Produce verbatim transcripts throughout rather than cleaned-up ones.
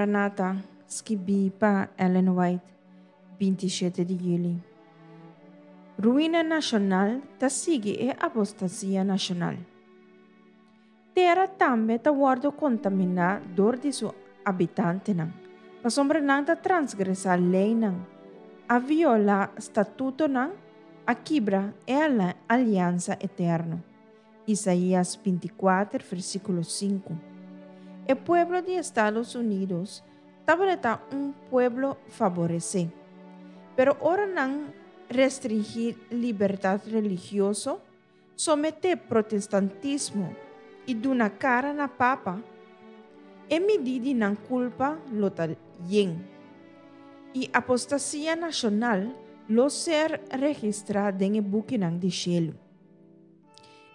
Maranata, skibí pa Ellen White, binti shete di yüli. Ruina nashonal ta sigui e apostasia nashonal. Tera tambe ta wòrdu kontaminá dor di su habitantenan, pasobra nan ta transgresá leinan, a violá statutonan, a kibra e aliansa eterno. Isaías binti kuater, versíkulo sinku. E pueblo di Estados Unidos tabata un pueblo faboresé. Pero ora nan restringí libertat religioso, someté protestantismo i duna kara na papa, e midí di nan kulpa lo ta yen. I apostasia nashonal lo ser registrá den e bukinan di shelu.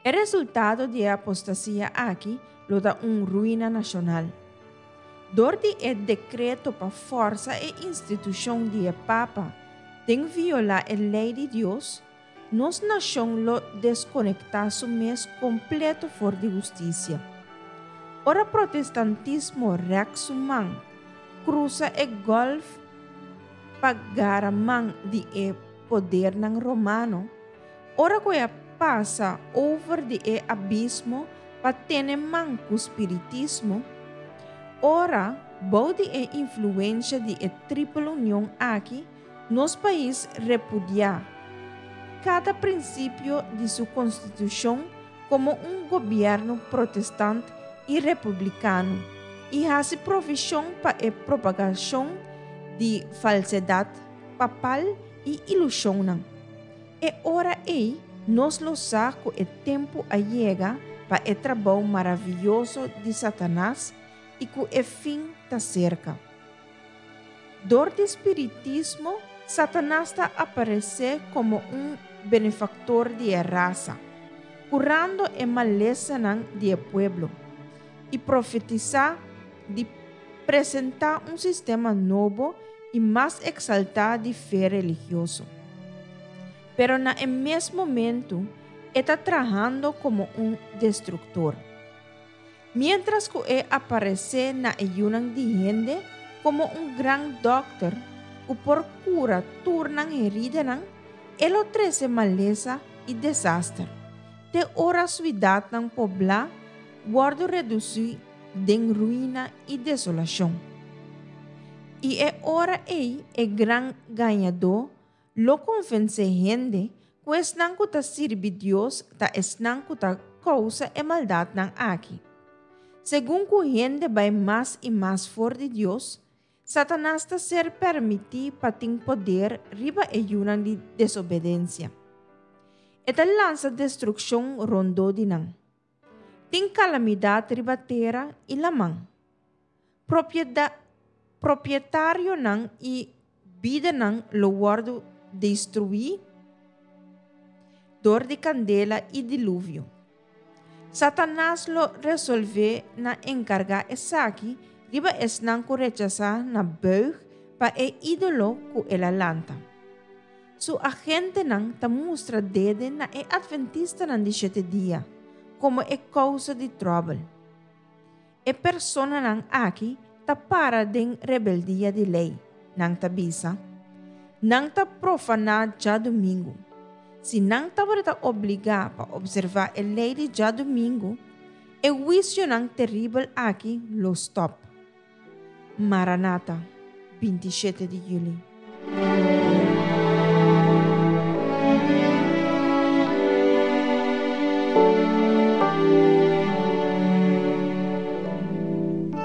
E resultado di e apostasia aki lo ta un ruina nashonal. Dor di e dekreto pa forsa e institushon di e papa den violá e lei di Dios, nos nashon lo deskonektá su mes kompleto for di hustisia. Ora protestantismo rèk su man krusa e gòlf pa gara man di e podernan romano, ora ku e a pasa over di e abismo pa tene man ku spiritismo, ora bou di e influensha di e Triple Union aki, nos pais repudiá kada prinsipio di su konstitushon komo un gobièrnu protestant i republikano i hasi provishon pa e propagashon di falsedat papal i ilushonnan. E ora ei nos lo sa ku e tempu a yega pa e trabou maravioso di Satanas i ku e fin ta serka. Dor di spiritismo, Satanas ta aparesé komo un benefaktor di e rasa, kurando e malesanan di e pueblo, i profetisá di presentá un sistema nobo i mas eksaltá di fe religioso. Pero na e mes momento e ta trahando komo un destruktor. Miéntras ku e aparesé na e yunan di hende komo un gran dòkter ku por kura tur nan heridanan, e lo trese malesa i desaster, te ora suidatnan poblá wòrdu redusí den ruina i desolashon. I e ora ei e gran gañadó lo konvensé hende ku esnan ku ta sirbi Dios ta esnan ku ta kousa e maldatnan aki. Segun ku hende bai mas i mas for di Dios, Satanas ta ser permití pa tin poder riba e yunan di desobedensia. E ta lansa destrukshon rondó di nan. Tin kalamidat riba tera i laman. Propieda, propietarionan i bidanan lo wòrdu destruí dor di kandela i diluvio. Satanas lo resolvé na enkargá esaki riba esnan ku rechasá na buig pa e ídolo ku el a lanta. Su agentenan ta mustra dede na e atventistanan di shete dia komo e kousa di tròbel. E personanan aki ta para den rebeldia di lei, nan ta bisa. Nan ta profaná djadumingu. Si nan tabata obligá pa opservá e lei di djadumingu, e huisionan teribel aki lo stòp. Maranata, binti shete di yüli.